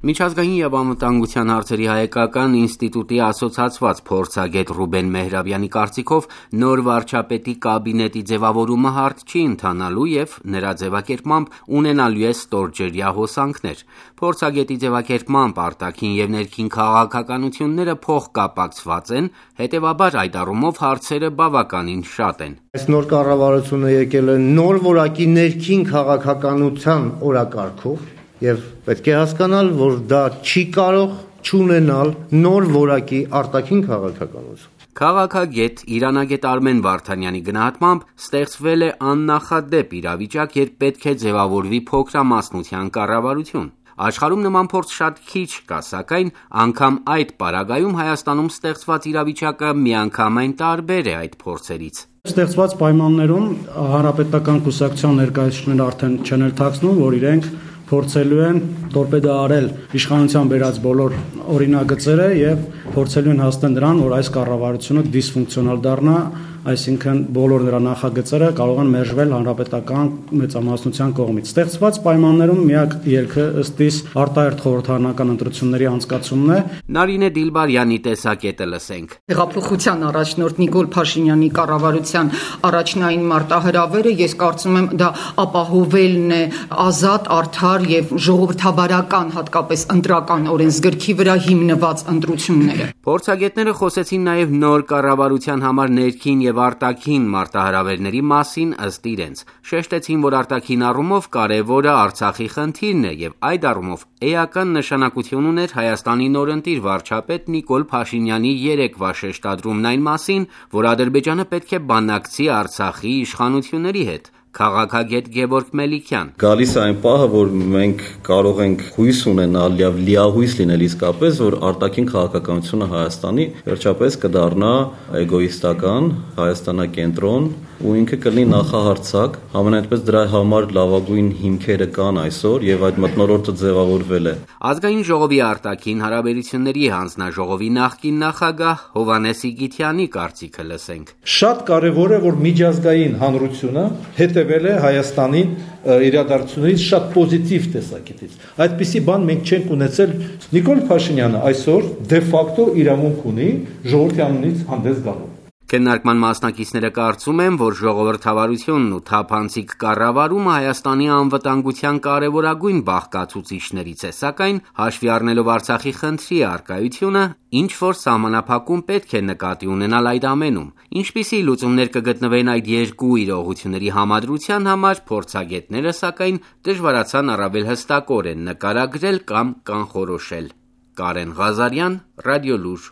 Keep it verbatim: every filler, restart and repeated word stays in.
Միջազգային և անվտանգության հարցերի հայկական ինստիտուտի ասոցացված փորձագետ Ռուբեն Մեհրաբյանի կարծիքով նոր վարչապետի կաբինետի ձևավորումը հարթ չի ընթանալու և նրա ձևակերպմամբ ունենալու է ստորջրյա հոսանքներ։ Փորձագետի ձևակերպմամբ արտաքին և ներքին քաղաքականությունները փոխկապակցված են, հետևաբար այդ առումով հարցերը բավականին շատ են։ Այս նոր կառավարությունը եկել է նոր որակի ներքին քաղաքականության օրակարգով և պետք է հասկանալ, որ դա չի կարող չունենալ նոր որակի արտաքին քաղաքականություն։ Քաղաքագետ, իրանագետ Արմեն Վարդանյանի գնահատմամբ ստեղծվել է աննախադեպ իրավիճակ, երբ պետք է ձևավորվի փոքրամասնության կառավարություն։ Աշխարհում նման փորձ շատ քիչ կա, սակայն անգամ այդ պարագայում Հայաստանում ստեղծված իրավիճակը միանգամայն տարբեր է այդ փորձերից։ Ստեղծված պայմաններում հանրապետական կուսակցության ներկայացուցիչները արդեն չեն էլ թաքցնում, որ իրենք փորձելու են տորպեդոարել իշխանության բերած բոլոր օրինագծերը եւ փորձելու են հասնել նրան, որ այս կառավարությունը դիսֆունկցիոնալ դառնա, այսինքն բոլոր նրա նախագծերը կարող են մերժվել հանրապետական մեծամասնության կողմից։ Ստեղծված պայմաններում միակ ելքը ըստ իս արտահերթ խորհրդարանական ընտրությունների անցկացումն է։ Նարինե Դիլբարյանի տեսակետը լսենք։ Հեղափոխության առաջնորդ Նիկոլ Փաշինյանի կառավարության առաջնային մարտահրավերը, ես կարծում եմ, դա ապահովելն է ազատ, արդար եւ ժողովրդավարական, հատկապես ընտրական օրենսգրքի վրա հիմնված ընտրությունները։ Փորձագետները խոսեցին նաև նոր կառավարության համար ներքին եւ արտաքին մարտահրավերների մասին ըստ իրենց։ Շեշտեցին, որ արտաքին առումով կարևորը Արցախի խնդիրն է եւ այդ առումով էական նշանակություն ուներ Հայաստանի նորընտիր վարչապետ Նիկոլ Փաշինյանի երեկվա շեշտադրումն այն մասին, որ Ադրբեջանը պետք է բանակցի Արցախի իշխանությունների հետ։ Քաղաքագետ Գևորգ Մելիքյան։ Գալիս է այն պահը, որ մենք կարող ենք հույս ունենալ եւ լիահույս լինել իսկապես, որ արտաքին քաղաքականությունը Հայաստանի վերջապես կդառնա էգոիստական, հայաստանակենտրոն ու ինքը կլինի նախահարցակ, համենայնպես դրա համար լավագույն հիմքերը կան այսօր եւ այդ մթնոլորտը ձևավորվել է։ Ազգային ժողովի արտաքին հարաբերությունների հանձնաժողովի նախկին նախագահ Հովհաննես Իգիթյանի կարծիքը լսենք։ Շատ կարեւոր է, որ միջազգային հանրությունը հետևել է Հայաստանին իրադարձություններից շատ պոզիտիվ տեսակետից։ Այդպիսի բան մենք չենք ունեցել։ Նիկոլ Փաշինյանը այսօր դե ֆակտո իրավունք ունի ժողովրդի անունից հանդես գալու։ Քննարկման մասնակիցները կարծում են, որ ժողովրդավարությունն ու թափանցիկ կառավարումը Հայաստանի անվտանգության կարևորագույն բաղկացուցիչներից է, սակայն հաշվի առնելով Արցախի խնդրի առկայությունը, ինչ որ սահմանափակում պետք է նկատի ունենալ այդ ամենում։ Ինչպիսի լուծումներ կգտնվեն այդ երկու իրողությունների համադրության համար, փորձագետները սակայն դժվարացան առավել հստակորեն նկարագրել կամ կանխորոշել։ Կարեն Ղազարյան, Ռադիոլուր։